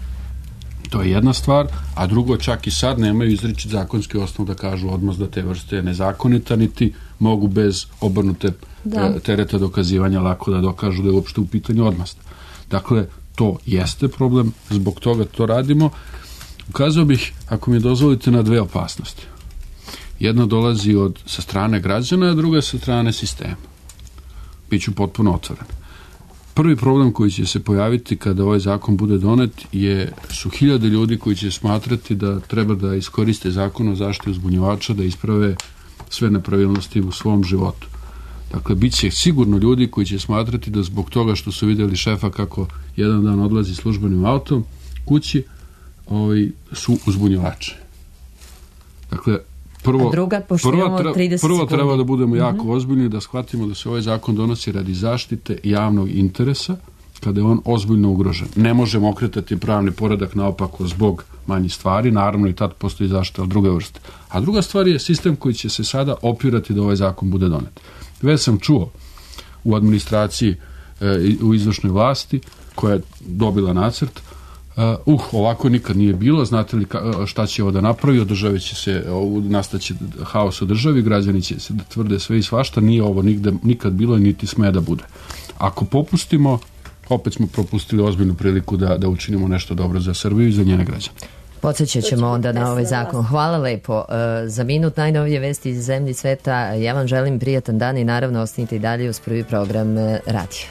To je jedna stvar, a drugo, čak i sad nemaju izričit zakonski osnov da kažu odmazda te vrste je nezakonita, niti mogu bez obrnute tereta dokazivanja lako da dokažu da je uopšte u pitanju odmazda. Dakle, to jeste problem, zbog toga to radimo. Ukazao bih, ako mi dozvolite, na dve opasnosti. Jedna dolazi sa strane građana, a druga sa strane sistema. Biću potpuno otvoren. Prvi problem koji će se pojaviti kada ovaj zakon bude donet su 1000 ljudi koji će smatrati da treba da iskoriste zakon o zaštiti uzbunjivača, da isprave sve nepravilnosti u svom životu. Dakle, bit će sigurno ljudi koji će smatrati da zbog toga što su vidjeli šefa kako jedan dan odlazi službenim autom kući, su uzbunjivači. Dakle, prvo treba da budemo jako ozbiljni, da shvatimo da se ovaj zakon donosi radi zaštite javnog interesa, kada je on ozbiljno ugrožen. Ne možemo okretati pravni poredak naopako zbog manjih stvari, naravno i tad postoji zaštita od druge vrste. A druga stvar je sistem koji će se sada opirati da ovaj zakon bude donet. Već sam čuo u administraciji, u izvršnoj vlasti, koja je dobila nacrt, ovako nikad nije bilo, znate li šta će ovo da napravi, održavi će se, nastaće haos u državi, građani će se da tvrde sve i svašta, nije ovo nikad bilo i niti sme da bude. Ako popustimo, opet smo propustili ozbiljnu priliku da učinimo nešto dobro za Srbiju i za njene građane. Podsjećat ćemo onda na ovaj zakon. Hvala lepo za minut. Najnovije vesti iz zemlji sveta. Ja vam želim prijatan dan i naravno ostanite i dalje uz prvi program radija.